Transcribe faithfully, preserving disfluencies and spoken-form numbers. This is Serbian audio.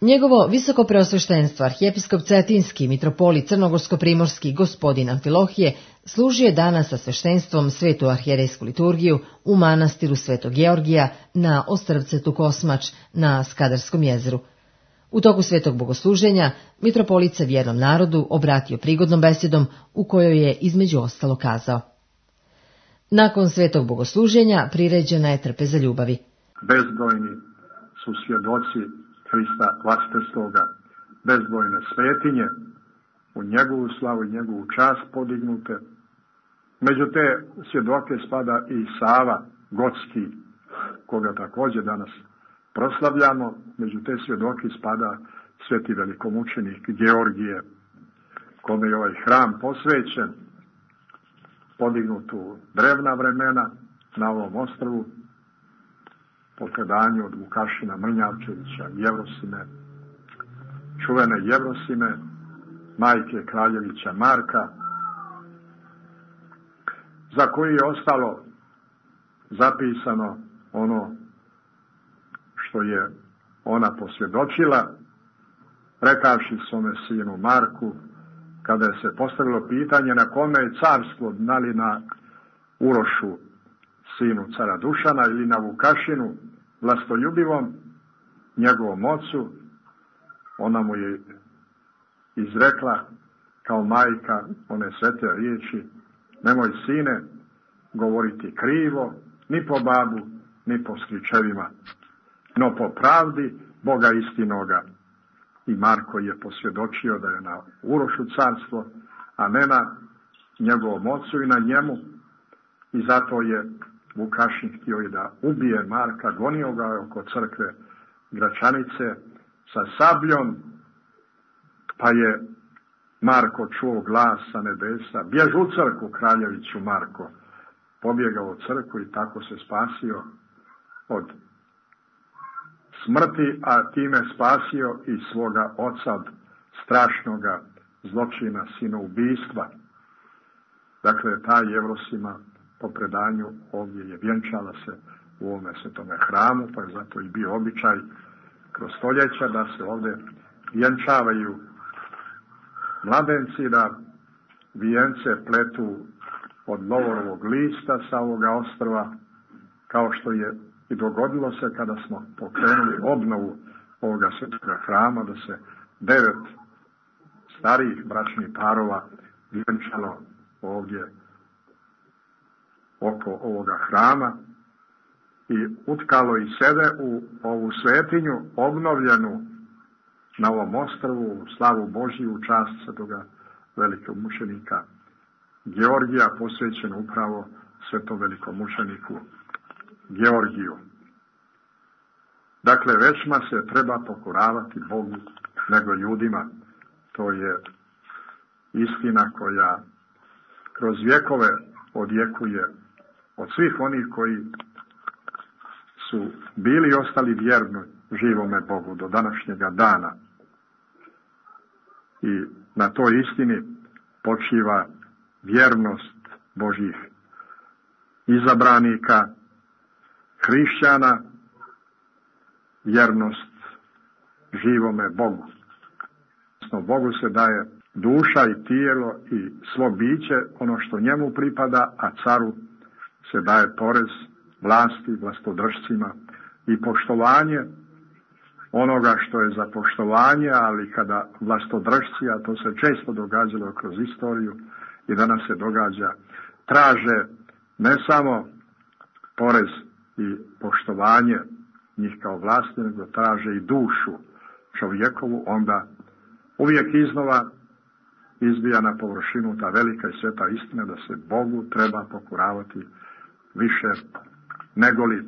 Njegovo visoko preosveštenstvo, arhijepiskop Cetinski, mitropolit crnogorsko-primorski gospodin Amfilohije, služio je danas sa sveštenstvom svetu arhijerejsku liturgiju u manastiru Svetog Georgija na Ostrvcetu Kosmač na Skadarskom jezeru. U toku svetog bogosluženja mitropolit se vjernom narodu obratio prigodnom besedom u kojoj je između ostalo kazao: Nakon svetog bogosluženja priređena je trpeza ljubavi. Bezbrojni su svjedoci Hrista vlastitoga, bezbrojne svetinje, u njegovu slavu i njegovu čast podignute. Među te svjedoke spada i Sava Gotski, koga također danas proslavljamo. Među te svjedoke spada sveti velikomučenik Georgije, kome je ovaj hram posvećen, podignut u drevna vremena na ovom ostrvu, po predanju od Vukašina Mrnjavčevića, Jevrosime, čuvene Jevrosime, majke Kraljevića Marka, za koji je ostalo zapisano ono što je ona posvjedočila, rekavši svome sinu Marku, kada je se postavilo pitanje na kome je carstvo, da li na Urošu, sinu cara Dušana, ili na Vukašinu, vlastoljubivom, njegovom ocu, ona mu je izrekla kao majka one svete riječi: nemoj, sine, govoriti krivo, ni po babu, ni po stričevima, no po pravdi Boga istinoga. I Marko je posvjedočio da je na Urošu carstvo, a ne na njegovom ocu i na njemu, i zato je Vukašin htio i da ubije Marka, gonio ga oko crkve Gračanice sa sabljom, pa je Marko čuo glas sa nebesa: bjež u crkvu, kraljeviću Marko. Pobjegao u crkvu i tako se spasio od smrti, a time spasio i svoga oca od strašnoga zločina sinoubistva. Dakle, ta Jevrosima po predanju ovdje je vjenčala se u ovome svetome hramu, pa je zato i bio običaj kroz stoljeća da se ovdje vjenčavaju mladenci, da vijence pletu od lovorovog lista sa ovoga ostrva, kao što je i dogodilo se kada smo pokrenuli obnovu ovoga svetoga hrama, da se devet starijih bračnih parova vjenčalo ovdje oko ovoga hrama i utkalo i sebe u ovu svetinju obnovljenu na ovom ostrvu, u slavu Božiju, u čast svetoga velikog mučenika Georgija, posvećen upravo svetom velikomučeniku Georgiju. Dakle, većma se treba pokoravati Bogu nego ljudima. To je istina koja kroz vjekove odjekuje od svih onih koji su bili i ostali vjerni živome Bogu do današnjega dana. I na toj istini počiva vjernost Božjih izabranika, hrišćana, vjernost živome Bogu. Bogu se daje duša i tijelo i svo biće, ono što njemu pripada, a caru se daje porez, vlasti, vlastodržcima i poštovanje onoga što je za poštovanje, ali kada vlastodržci, a to se često događalo kroz istoriju i danas se događa, traže ne samo porez i poštovanje njih kao vlasti, nego traže i dušu čovjekovu, onda uvijek iznova izbija na površinu ta velika i sveta istina da se Bogu treba pokoravati više negoli